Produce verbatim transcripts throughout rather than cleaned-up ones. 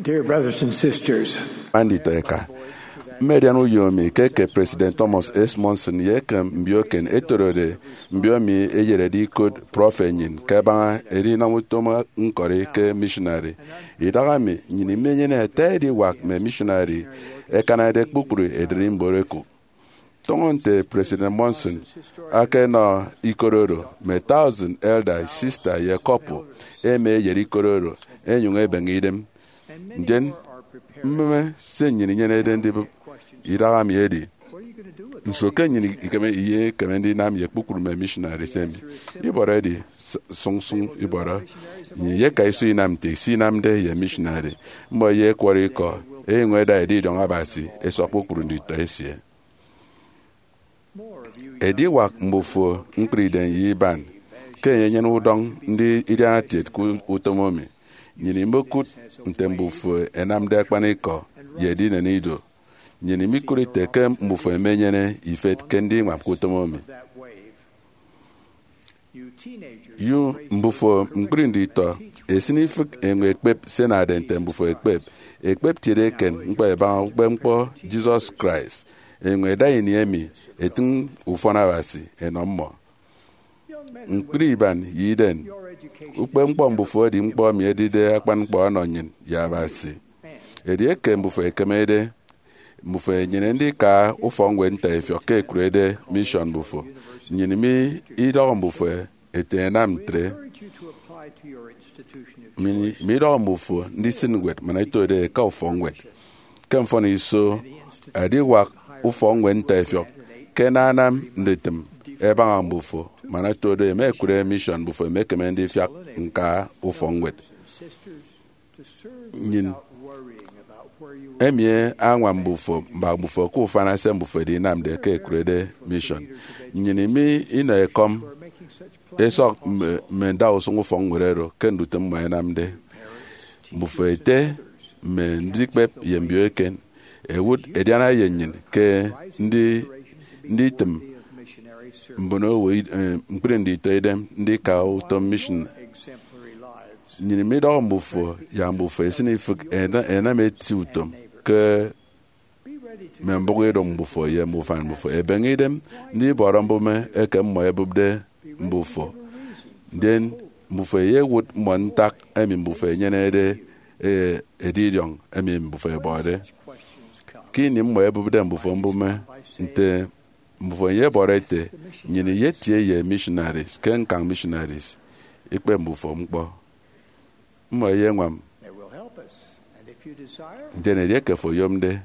Dear brothers and sisters, Anditọ eka, mmedian uyo mi ke ke President Thomas S. Monson ye eke mbio eken etorode mbio mi eyerede ikot prọfet nnyin ke ebaña edinam utom ñkọri ke missionary. Idaha mi, nnyin imenyene ata ediwak mme missionary ekanade kpukpru ederi mboro ekuk. Tọñọ nte President Monson akenọ ikot oro, mme thousand elder, sister, ye couple ema eyet ikot oro, enyuñ ebeñe idem. Ndien, mmeme se nnyin inyenede ndibụp idaha mi edi, nso ke nnyin ikeme, ikeme ndinam ye kpukpru mme missionaries emi? Ibọrọ edi, s-, sụñ sụñ ibọrọ. Nnyin iyeka iso inam nte isinamde ye missionary. Mmọ eyekwọrọ ikọ, enyuñ eda edidiọñ Abasi esọk kpukpru nditọ esie. Ediwak mbufo ñkpri idem ye iban ke enyenyene udọñ ndi idianatiet ke utom emi. Nnyin imokut nte mbufo enamde akpanikọ ye edinen ido. Nnyin imikut ite ke mbufo emenyene ifet ke ndiñwam ke utom emi. Yu mbufo ñkpri nditọ, esin ifịk enyuñ ekpep se enade nte mbufo ekpep. Ekpep tiede eken ñkpọ ebaña ukpepñkpọ Jesus Christ, enyuñ eda ini emi etịñ ufọn Abasi enọ mmọ. Ñkpri iban ye iden, ukpepñkpọ mbufo edi ñkpọ emi edide akpan ñkpọ ọnọ nnyịn ye Abasi. Edieke mbufo ekemede, mbufo enyene ndika ufọkñwed ntaifiọk ke ekurede mission mbufo. Nnyin mi idọhọ mbufo ete enam ntre. Mi, mi idọhọ mbufo ndisịn ñwed man etode eka ufọkñwed. Ke mfọniso, ediwak ufọkñwed ntaifiọk ke ananam ndutịm ebaña mbufo man etode ema ekure mission mbufo emekeme ndifiak ñka ufọkñwed. Nnyin emi añwam mbufo, mbak mbufo ke ufana se mbufo edinamde ke ekurede mission. Nnyin mi inọ ekọm esọk mme, mme ndausụñ ufọkñwed oro ke ndutịm mmọ enamde. Mbufo ete mme ndikpep ye mbio eken, ewut ediana ye nnyịn ke ndi, nditịm mbono owo id-, eh, ñkpri nditọ idem ndika utom mission. Nnyin midọhọ mbufo yak mbufo esin ifịk ena-, enam eti utom ke mme mbụk idụñ mbufo ye mme ufan mbufo. Ebeñe idem ndibọrọ mbụme eke mmọ ebụpde mbufo. Ndien mbufo eyewụt mmọ ntak emi mbufo enyenede, eh, edidiọñ emi mbufo ebọde. Ke ini mmọ ebụpde mbufo mbụme nte mbufo eyebọrọ ete, nnyin iyetie ye missionaries ke ñkañ missionaries, ikpep mbufo ñkpọ. Mmọ eyeñwam. Ndien edieke fo oyomde,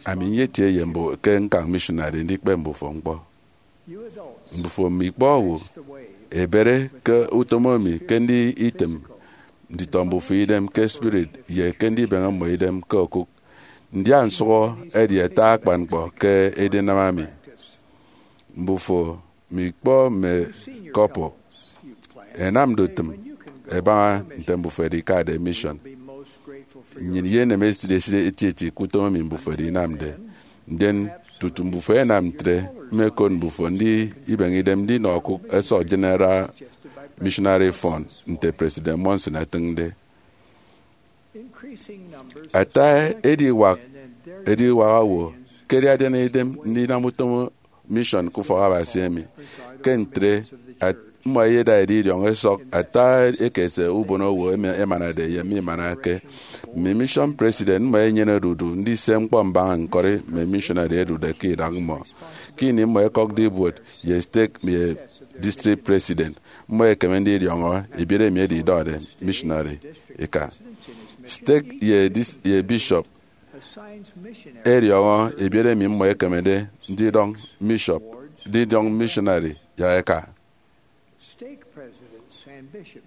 ami nyetie ye mbu-, ke ñkañ missionary ndikpep mbufo ñkpọ. Mbufo mme ikpọ owo ebere ke utom emi ke nditịm nditọ mbufo idem ke spirit ye ke ndibeñe mmọ idem ke okụk. Ndia nsụhọ edi ata akpan ñkpọ ke edinam ami. Mbufo mme ikpọ mme couple enam ndutịm ebaña nte mbufo edikade mission. Nnyin iyenem esịt esịt etieti ke utom emi mbufo edinamde. Ndien tutu mbufo enam ntre, mmekot mbufo ndi ibeñe idem ndinọ okụk esọk General Missionary Fund nte President Monson etịñde. Ata ediwak, ediwak owo ke ẹdidiana idem ndinam utom mission ke ufọk Abasi emi. Ke ntre, at-, mmọ ẹyeda edidiọñ ẹsọk ata ekese ubono owo emi ẹmanade ye mimanake. Mme mission president mmọ ẹnyenede odudu ndise ñkpọ mbaña ñkọri mme missionary ẹdude ke idak mmọ. Ke ini mmọ ẹkọkde ibuot ye stake ye district president, mmọ ẹkeme ndidiọñọ ebiet emi edidọde missionary eka. Stake ye dis-, ye bishop ẹdiọñọ ebiet emi mmọ ẹkemede ndidọñ bishop, ndidọñ missionary yak eka.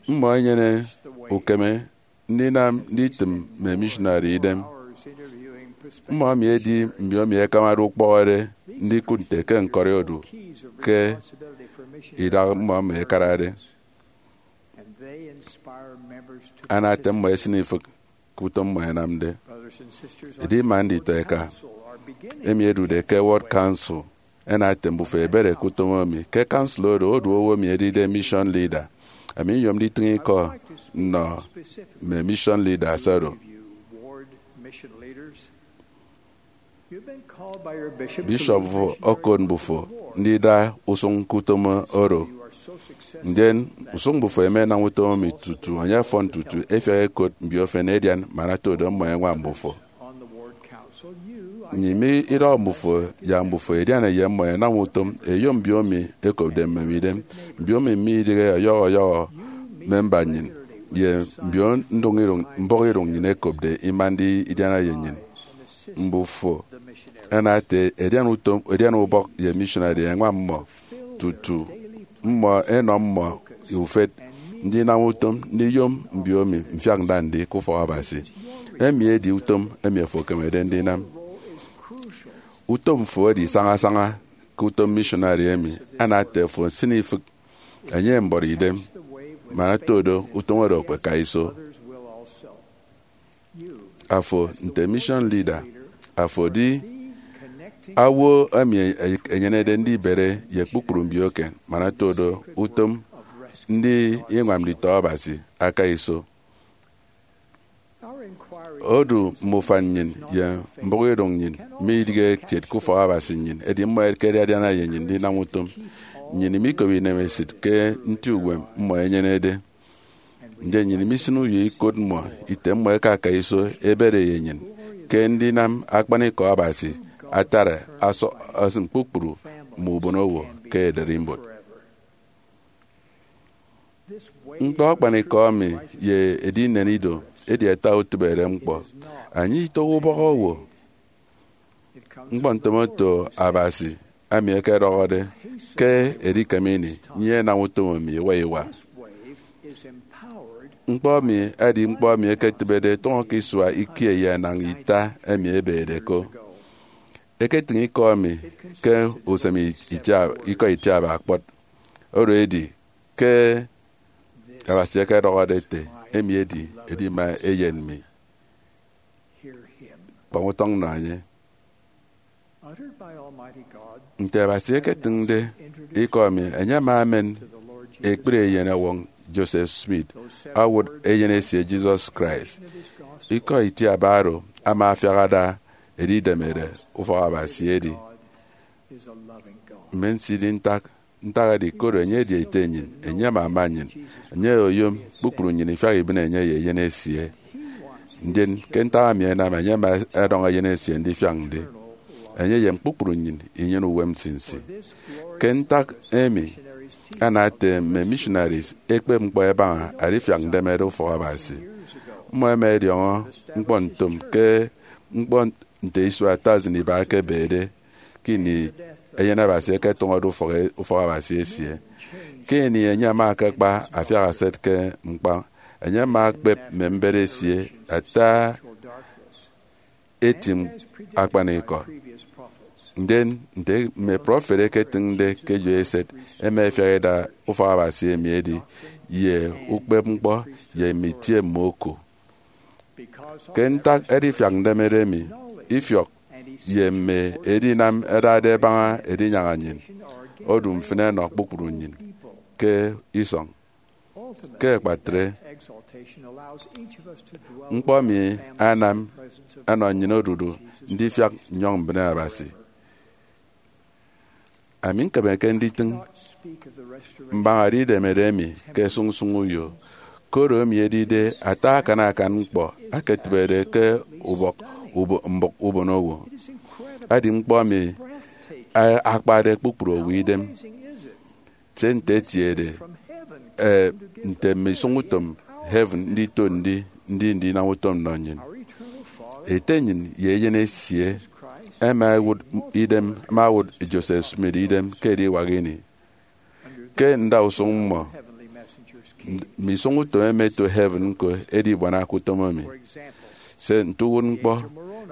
Mmọ ẹnyene ukeme ndinam nditịm mme missionary idem. Mmọ emi ẹdi mbiomi ẹkamade ukpọhọde ndikụt nte ke ñkọri odu ke idak mmọ emi ẹkarade. Ana ete mmọ ẹsịn ifịk ke utom mmọ ẹnamde. Edi ima nditọ eka emi ẹdude ke World Council ẹna ete mbufo ẹbere ke utom emi. Ke council oro, odu owo emi edide mission leader Ami nyom nditịñ ikọ nnọ mme mission leaders oro. Bishop fo okot mbufo ndida usụñ ke utom oro, ndien usụñ mbufo ẹma ẹnam utom emi tutu enye ọfọn tutu ẹfiak ẹkot mbiofen ẹdian man ata odo mmọ ẹñwam mbufo. Nnyịn midọhọ mbufo yak mbufo ẹdiana ye mmọ ẹnam utom ẹyom mbiomi ẹkopde mmem idem. Mbiomi midịghe ọyọhọ ọyọhọ memba nnyịn ye mbio mbọhọidụñ nnyịn ẹkopde ima ndidiana ye nnyịn. Mbufo ẹnam ete ẹdian utom, ẹdian ubọk ye missionary ẹñwam mmọ tutu mmọ ẹnọ mmọ ufet ndinam utom ndiyom mbiomi mfiak nda ndi ke ufọk Abasi. Emi edi utom emi afo ekemede ndinam. Utom fo edi sañasaña ke utom missionary emi. Ana ete afo nsịn ifịk enye mbọrọ idem man ata odo utom oro ekpeka iso. Afo nte mission leader, afo di owo emi enyenede ndibere ye kpukpru mbioke man ata odo utom ndi iñwam nditọ Abasi aka iso. Odu mme ufan nnyịn ye mbọhọidụñ nnyịn midịghe kiet ke ufọk Abasi nnyịn, edi mmọ ẹkedi adiana ye nnyịn ndinam utom. Nnyịn imikop inemesịt ke nti uwem mmọ ẹnyenede. Ndien nnyịn imisịn uyo ikot mmọ ite mmọ ẹkaka iso ẹbere ye nnyịn ke ndinam akpanikọ Abasi atara asọ-, asịm kpukpru mme ubonowo ke ererimbot. Ñkpọ akpanikọ emi ye edinen ido edi ata utịbede ñkpọ. Enye itọhọ ubọk owo. Ñkpọ ntomoto Abasi emi ẹkedọhọde ke edikem ini nnyịn ẹnam utom emi iwa iwa. Ñkpọ emi edi ñkpọ emi eketịbede tụñọ ke isua ikie ye enañ ita emi ebede ko. Eketịñ ikọ emi ke usem itia-, ikọ itiaba kpọt. Oro edi ke Abasi ekedọhọde ete, "Emi edi edima Eyen mi, kpọñ utọñ nọ enye." Nte Abasi eketịñde ikọ emi, enye ama emen ekpri Eyen ọwọñ Joseph Smith owụt Eyen esie Jesus Christ. Ikọ itiaba oro ama afiak ada edidemede ufọk Abasi edi mme nsidi ntak. Ntak edi koro enye edi Ete nnyịn, enye ama ama nnyịn, enye oyom kpukpru nnyịn ifiak ibịne enye ye Eyen esie. Ndien ke ntak emi ẹnam enye ama ẹdọñ Eyen esie ndifiak ndi, enye ye kpukpru nnyịn inyene uwem nsinsi. Ke ntak emi, ana ete mme missionaries ẹkpep ñkpọ ẹbaña adifiak ndemede ufọk Abasi. Mmọ ẹma ẹdiọñọ ñkpọ ntom ke ñkpọ nte isua thousand iba ẹkebede ke ini Eyen Abasi eketụñọde ufọk, ufọk Abasi esie. Ke ini enye ama akakpa afiak eset ke ñkpa, enye ama akpep mme mbet esie ata eti akpanikọ. Ndien nte mme prọfet eketịñde ke eyo eset, ẹma ẹfiak ẹda ufọk Abasi emi edi ye ukpep ñkpọ ye mme itie mme oku. Ke ntak edifiak ndemede emi, ifiọk ye mme edinam ẹdade ẹbaña edinyaña nnyịn odu mfịn ẹnọ kpukpru nnyịn ke isọñ. Ke akpatre, ñkpọ emi anam ẹnọ nnyịn odudu ndifiak nnyọñ mbịne Abasi. Ami ñkemeke nditịñ mbaña edidemede emi ke sụñsụñ uyo, koro emi edide ata akan akan ñkpọ aketịbede ke ubọk ubo-, mbụk ubonowo. Edi ñkpọ emi, eh, akpade kpukpru owo idem. Se nte etiede, eh, nte mme isụñutom heaven ndito ndi, ndi ndinam utom nnọ nnyịn. Ete nnyịn ye Eyen esie ẹma ẹwụt idem, ẹma ẹwụt Joseph Smith idem ke ediwak ini. Ke ndausụñ mmọ, mme isụñutom ẹma ẹto heaven ñko ẹdi ibuana ke utom emi. Se nte uwụtñkpọ,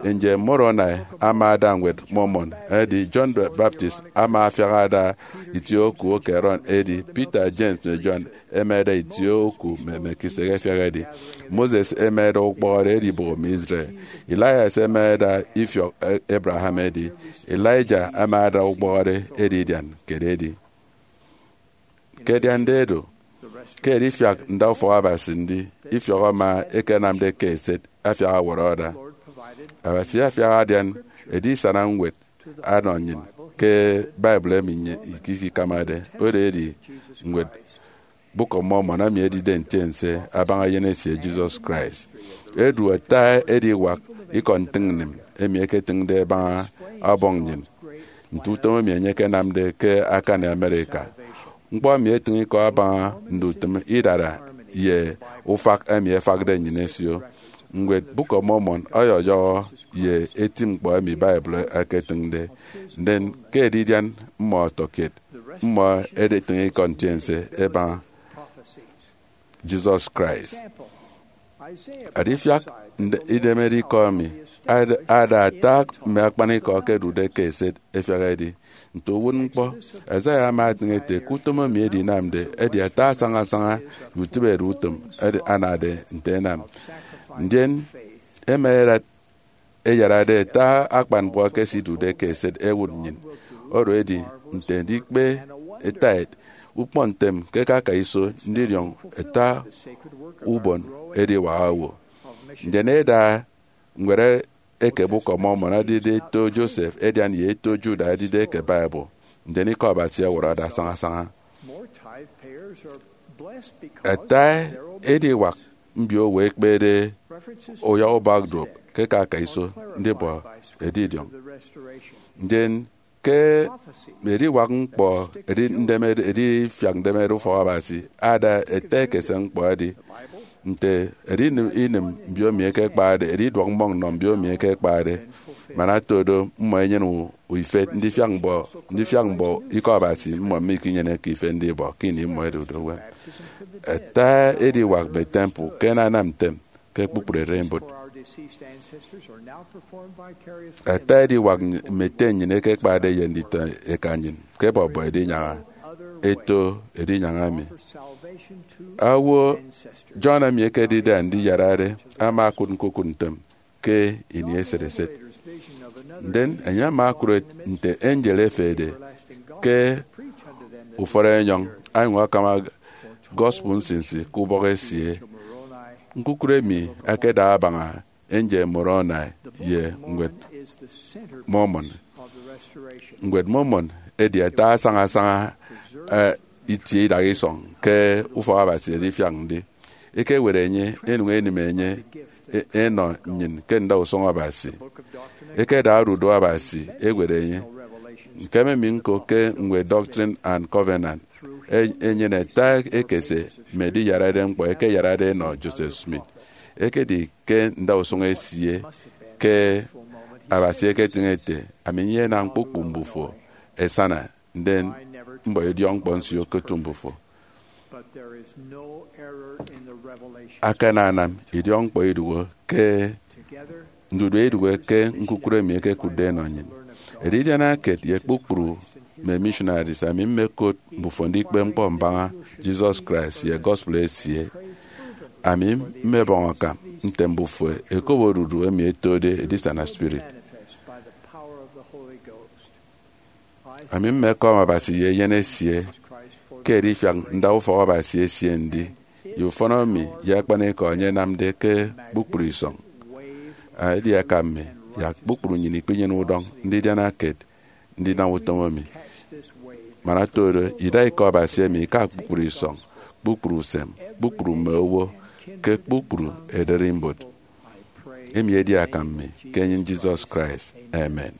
Angel Moroni ama ada Ñwed Mormon, edi John the Baptist ama afiak ada itie oku oku Aaron, edi Peter, James, mme John ẹma ẹda itie oku mme Melchizedek ẹfiak ẹdi. Moses ẹma ẹda ukpọhọde ẹdi ibụghọ mme Israel. Elias ẹma ẹda ifiọk Abraham ẹdi. Elijah ama ada ukpọhọde ẹdi idian ke ededi. Ke ẹdiande do, Ke edifiak nda ufọk Abasi ndi ifiọk ama ekenamde ke eset afiak ọwọrọ ọda, Abasi afiak adian edisana ñwed ọnọ nnyin ke Bible emi nnyin ikikamade, oro edi ñwed Book of Mormon, emi edide ntiense abaña eyen esie Jesus Christ. Edu ata ediwak ikọ ntịñnnịm emi eketịñde ebaña ọbọñ nnyin, nte utom emi enye ekenamde ke akani America. Ñkpọ emi etịñ ikọ abaña ndutịm idara ye ufak emi efakde nnyịn esio. Ñwed Book of Mormon ọyọyọhọ ye eti ñkpọ emi Bible eketịñde, ndien ke edidian mmọ ọtọkiet, mmọ editịñ ikọ ntiense ebaña Jesus Christ. Adifiak nde-, idemede ikọ emi ad-, ada ata mme akpanikọ ẹkedude ke eset efiak edi nte uwụtñkpọ. Isaiah ama etịñ ete ke utom emi edinamde edi ata asañasaña ye utịbedutom edi anade nte ẹnam. Ndien ẹma ẹdat ẹyarade ata akpan ñkpọ ẹkesidude ke eset ẹwụt nnyịn, oro edi nte ndikpe tithe, ukpọñ ntem ke eke akaiso ndidiọñ ata ubon ediwak owo. Ndien eda ñwed eke Book of Mormon edide eto Joseph edian ye eto Judah edide eke Bible, ndien ikọ Abasi ọwọrọ ọda sañasaña. Ata ediwak mbiowo ẹkpede uyọhọ ubak duop ke eke akaiso ndibọ edidiọñ. Ndien ke ediwak ñkpọ edi ndemede, edifiak ndemede ufọk Abasi ada ete ekese ñkpọ edi nte edi inịm, inịm mbio emi ẹkekpade, edi iduọk mmọñ nnọ mbio emi ẹkekpade, man ato do mmọ ẹnyene u-, ifet ndifiak mbọ, ndifiak mbọ ikọ Abasi mmọ mikinyeneke ifet ndibọ ke ini mmọ ẹdude uwem. Ata ediwak mme temple ke ẹnanam ntem ke kpukpru ererimbot. Ata ediwak mme ete nnyịn ẹkekpade ye nditọ eka nnyịn ke ẹbọbọ edinyaña, eto edinyaña emi. Owo John emi ekedide andiyarade ama okụt ñkukụt ntem ke ini eset eset. Ndien enye ama okụt nte angel efehede ke ufọt enyọñ, anyụñ akama gospel nsinsi ke ubọk esie. Ñkukụt emi akada abaña angel Moroni ye ñwed Mormon. Ñwed Mormon edi ata asaña asaña, eh, itie idaha isọñ ke ufọk Abasi edifiak ndi. Ekewet enye, enụñ enịm enye, e-, enọ nnyịn ke ndausụñ Abasi. Ekeda odudu Abasi ewet enye. Ñkeme mi ñko ke ñwed Doctrine and Covenant, e-, enyene ata ekese mme ediyarade ñkpọ ekeyarade enọ Joseph Smith. Ekedi ke ndausụñ esie ke Abasi eketịñ ete, ami nyenam kpukpru mbufo ẹsana, ndien mbọ idiọkñkpọ nsio ke otu mbufo. Akananam idiọkñkpọ iduhe ke, ndudue iduhe ke ñkukụre emi ekekụtde enọ nnyịn. Edidianakiet ye kpukpru mme missionaries, ami mmekot mbufo ndikpe ñkpọ mbaña Jesus Christ ye gospel esie. Ami mmebọñ akam nte mbufo ẹkop odudu emi ẹtode edisana spirit. Ami mmekọm Abasi ye eyen esie ke edifiak nda ufọk Abasi esie ndi, ye ufọn emi ye akpanikọ enye enamde ke kpukpru isọñ. Edi akam mi yak kpukpru nnyịn ikpinyene udọñ ndidianakiet ndinam utom emi. Man ato do, ida ikọ Abasi emi ika kpukpru isọñ, kpukpru usem, kpukpru mme owo, ke kpukpru ererimbot. Emi edi akam mi ke enyịn Jesus Christ. Amen.